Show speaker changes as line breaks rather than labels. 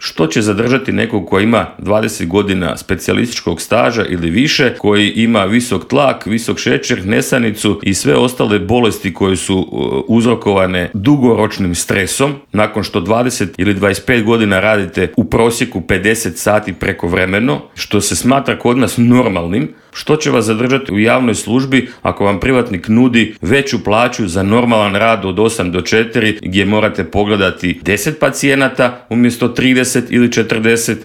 Što će zadržati nekog koji ima 20 godina specijalističkog staža ili više, koji ima visok tlak, visok šećer, nesanicu i sve ostale bolesti koje su uzrokovane dugoročnim stresom, nakon što 20 ili 25 godina radite u prosjeku 50 sati prekovremeno, što se smatra kod nas normalnim? Što će vas zadržati u javnoj službi ako vam privatnik nudi veću plaću za normalan rad od 8 do 4, gdje morate pogledati 10 pacijenata umjesto 30 ili 40,